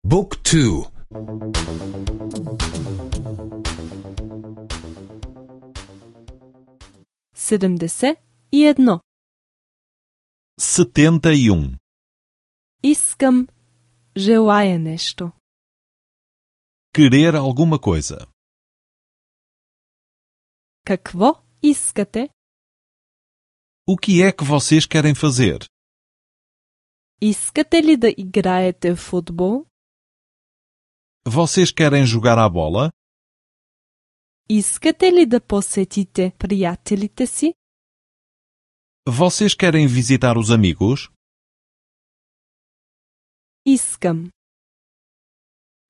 Book 2. 71. 71. Искам, желая нешто. Querer alguma coisa. Какво искате? O que é que vocês querem fazer? Искате ли да играете футбол? Vocês querem jogar à bola? Искате ли да посетите приятелите си? Vocês querem visitar os amigos? Искам.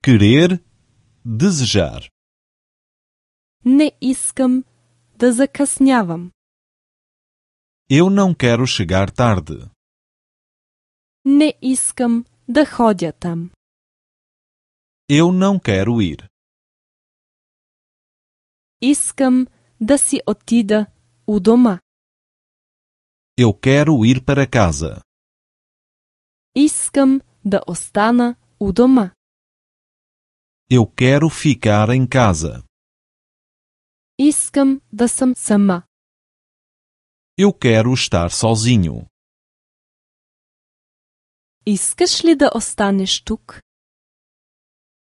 Querer, desejar. Не искам да закъснявам. Eu não quero chegar tarde. Не искам да ходя там. Eu não quero ir. Искам да си отида у дома. Eu quero ir para casa. Искам да остана у дома. Eu quero ficar em casa. Искам да съм сама. Eu quero estar sozinho. Искаш ли да останеш тук?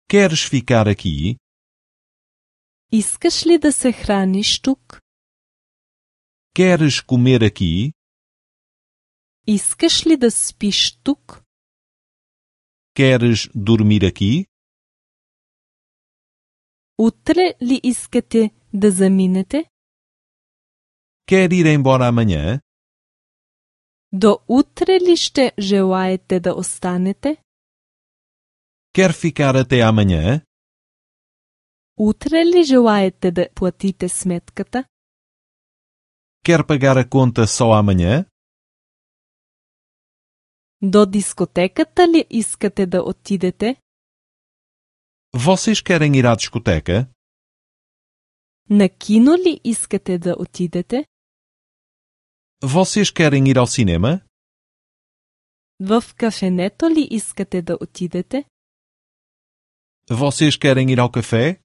Queres ficar aqui? Искаш ли да се храниш тук? Queres comer aqui? Искаш ли да спиш тук? Queres dormir aqui? Утре ли искате да заминете? Quer ir embora amanhã? До утре ли ще желаете да останете? Quer ficar até amanhã? Утре ли желаете да платите сметката? Quer pagar a conta só amanhã? До дискотеката ли искате да отидете? Vocês querem ir à discoteca? На кино ли искате да отидете? Vocês querem ir ao cinema? В кафенето ли искате да отидете? Vocês querem ir ao café?